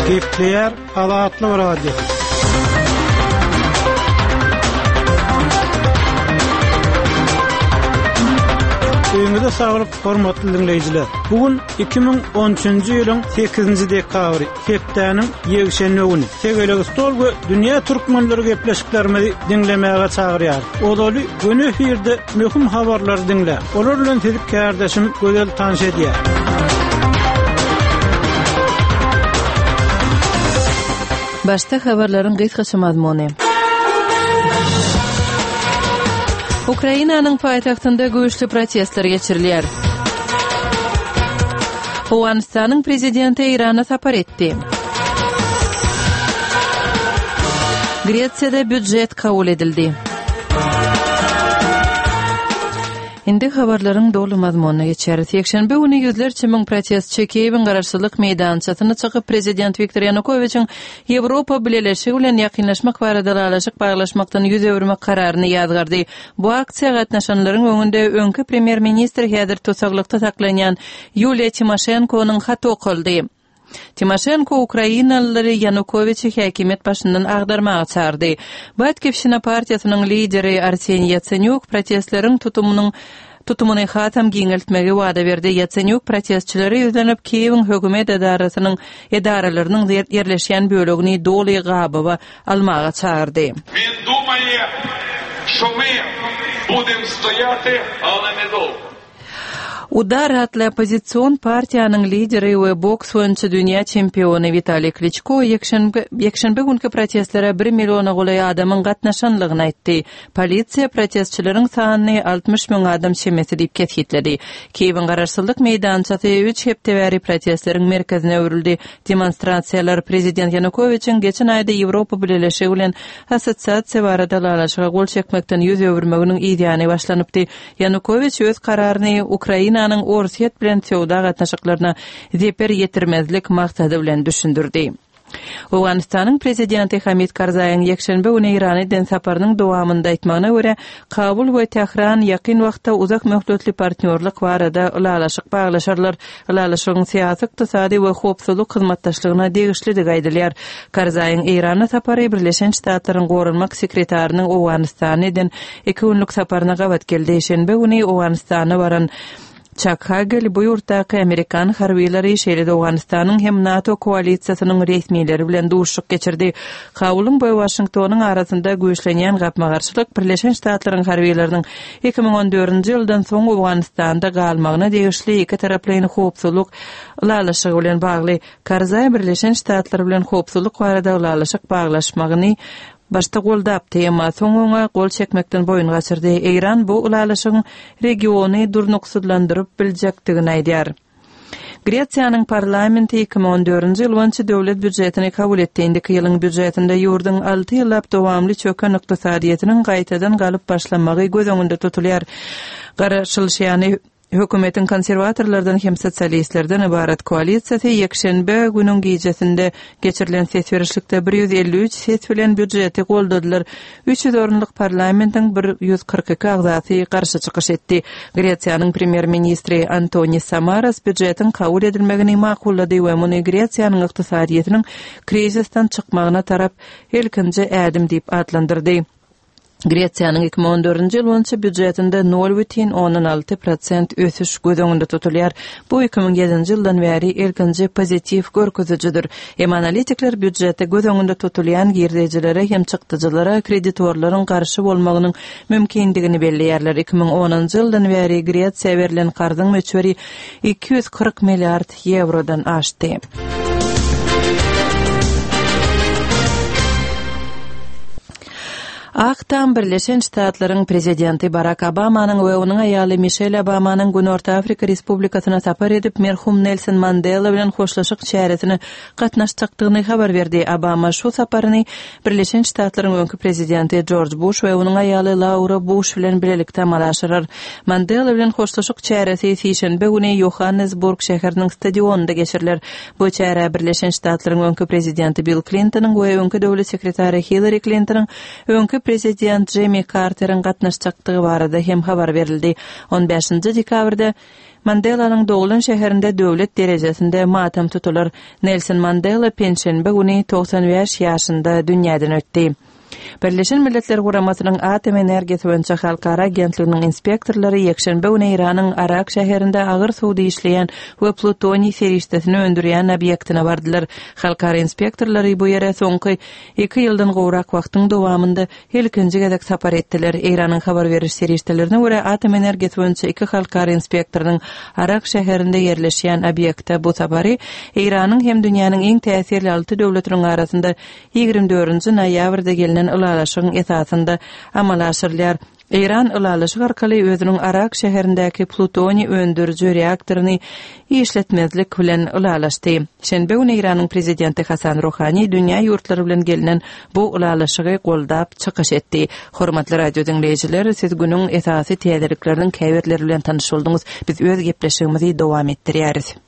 Gepleýär Azatlyk Radiosy. Öýüňize saglyk, hormatly diňleýjiler! Bu gün 2013-nji ýylyň 8-nji dekabry, hepdäniň ýekşenbe güni. Tegelek stol we dünýä türkmenleri gepleşiklerimizi diňlemäge çagyrýar. Ozaly göni efirde möhüm habarlary diňläň. Olar bilen sizi kärdeşim Gözel tanyş edýär. Başda habarlaryň gysgaça mazmuny. Ukrainanyň paýtagtynda güýçli protestler geçirilýär. Owganystanyň prezidenti Eýrana sapar etdi. Gresiýada býujet kabul edildi. Indi habarlaryň doly mazmunyna geçeris. Ýekşenbe güni ýüzlerçe müň protestçi Kiýewiň Garaşsyzlyk meýdançasyna çykyp, prezident Wiktor Ýanukowiçiň Ýewropa Bileleşigi bilen ýakynlaşmak barada ylalaşyk baglaşmakdan ýüz öwürmek kararyny ýazgardy. Bu aksiýa gatnaşanlaryň öňünde öňki premýer-ministr häzir tussaglykda saklanýan Ýuliýa Timoşenkonyň haty okaldy. Timoşenko ukrainalylary Ýanukowiçi häkimiýet başyndan agdarmaga çagyrdy. Batkivşina partiýasynyň lideri Arseniý Ýatsenýuk protestleriň tutumynyň tutumyny hasam giňeltmegi wada berdi. Ýatsenýuk protestçilere ýüzlenip, Kiýewiň hökümet edarasynyň edaralarynyň ýerleşýän bölegini doly gabawa almaga çagyrdy. Він думає, що ми будем стояти, але недовго. Udar atly oppozision partiýanyň lideri we boks boýunça dünýä çempiony Witaliý Kliçko ýekşenbe günki protestlere bir milliona golaý adamyň gatnaşanlygyny aýtdy. Polisiýa protestçileriň sanyny 60 müň adam çemesi diýip kesgitledi. Kiýewiň Garaşsyzlyk meýdançasy üç hepde bäri protestleriň merkezine öwrüldi. Demonstrasiýalar prezident Ýanukowiçiň geçen aýda Ýewropa Bileleşigi bilen assosiasiýa barada ylalaşyga gol çekmekden ýüz öwürmeginiň yzýany başlanypdy. Ýanukowiç öz kararyny Ukrainanyň Orsýet bilen söwda gatnaşyklaryna zeper ýetirmezlik maksady bilen düşündirdi. Owganystanyň prezidenti Hamid Karzaýyň ýekşenbe güni Eýrana eden saparynyň dowamynda aýtmagyna görä, Kabul we Tähran ýakyn wagtda uzak möhletli partnýorlyk barada ylalaşyk baglaşarlar. Ylalaşygyň syýasy, ykdysady we howpsuzlyk hyzmatdaşlygyna degişlidigi aýdylýar. Karzaýyň Eýrana sapary Birleşen Ştatlaryň goranmak sekretarynyň Owganystana eden Iki günlük saparyna gabat geldi. Şenbe güni Owganystana baran Çak Hagel bu ýurtdaky amerikan harbylary, şeýle-de Owganystanyň hem NATO koalisiýasynyň resmileri bilen duşuşyk geçirdi. Kabulyň we Waşingtonyň arasynda güýçlenýän gapma-garşylyk Birleşen Ştatlaryň harbylarynyň 2014-nji ýyldan soň Owganystanda galmagyna degişli ikitaraplaýyn howpsuzlyk ylalaşygy bilen bagly. Karzaý Birleşen Ştatlar bilen howpsuzlyk barada ylalaşyk baglaşmagyny Başda goldapdy, emma soň oňa gol çekmekden boýun gaçyrdy. Eýran bu ylalaşygyň regiony durnuksyzlandyryp biljekdigini aýdýar. Gresiýanyň parlamenti 2014-nji ýyl boýunça döwlet býujetini kabul etdi. Indiki ýylyň býujetinde ýurduň alty ýyllap dowamly çöken ykdysadyýetiniň gaýtadan galyp başlamagy göz öňünde tutulýar. Garaşylyşy ýaly, Hökümetiň konserwatorlardan hem sosialistlerden ybarat koalisiýasy ýekşenbe günüň gijesinde geçirilen ses berişlikde 153 ses bilen býujeti goldadylar. 300 orunlyk parlamentiň 142 agzasy garşy çykyş etdi. Gresiýanyň premýer-ministri Antonis Samaras býujetiň kabul edilmegini makullady we muny Gresiýanyň ykdysadyýetiniň krizisden çykmagyna tarap ilkinji ädim diýip atlandyrdy. Gresiýanyň 2014-nji ýyl boýunça býujetinde 0,6 prosent ösüş göz öňünde tutulýar. Bu 2007-nji ýyldan bäri ilkinji pozitiw görkezijidir. Emma analitikler býujetde göz öňünde tutulýan girdejilere hem çykdajylara kreditorlaryň garşy bolmagynyň mümkindigini belleýärler. 2010-njy ýyldan bäri Gresiýa berlen karzyň möçberi 240 milliard ýewrodan aşdy. Ak Tam Birleşen Ştatlaryň Prezidenti Barak Obamanyň we onuň aýaly Mişel Obamanyň Günorta Afrika Respublikasyna sapar edip, merhum Nelson Mandela bilen hoşlaşyk çäresine gatnaşjakdygyny habar berdi. Obama şu saparyny Birleşen Ştatlaryň öňki Prezidenti Jorj Buş we onuň aýaly Laura Buş bilen bilelikde amala aşyrar. Mandela bilen hoşlaşyk çäresi sişenbe güni Ýohannesburg şäheriniň stadionynda geçiriler. Bu çärä Birleşen Ştatlaryň öňki prezidenti Bill Klintonyň we öňki döwlet sekretary Hillari Klintonyň, öňki prezident Jimmi Karteriň gatnaşjakdygy barada hem habar berildi. On bäşinji dekabrda. Mandelanyň doglan şäherinde döwlet derejesinde matam tutular. Nelson Mandela penşenbe güni 95 ýaşynda dünýäden ötdi. Birleşen Milletler Guramasynyň Atom energiýasy boýunça halkara agentliginiň inspektorlary ýekşenbe güni Eýranyň Arak şäherinde agyr suwda işleýän we plutoniý serişdesini öndürýän obýektine bardylar. Halkara inspektorlary bu ýere soňky iki ýyldan gowrak wagtyň dowamynda ilkinji gezek sapar etdiler. Eýranyň habar beriş serişdelerine görä, atom energiýasy boýunça iki halkara inspektorynyň Arak şäherinde ýerleşýän obýekte bu sapary Eýranyň hem dünýäniň iň täsirli alty döwletiniň arasynda 24-nji noýabrda gelnen ylalaşygyň esasynda amala aşyrylýar. Eýran ylalaşyk arkaly özüniň Arak şäherindäki plutoniý öndüriji reaktoryny işletmezlik bilen ylalaşdy. Şenbe güni Eýranyň prezidenti Hasan Ruhani dünýä ýurtlary bilen gelnen bu ylalaşygy goldap çykyş etdi. Hormatly radio diňleýjiler, siz günüň esasy täzelikleriniň käbirleri bilen tanyş bolduňyz. Biz öz gepleşigimizi dowam etdirýäris.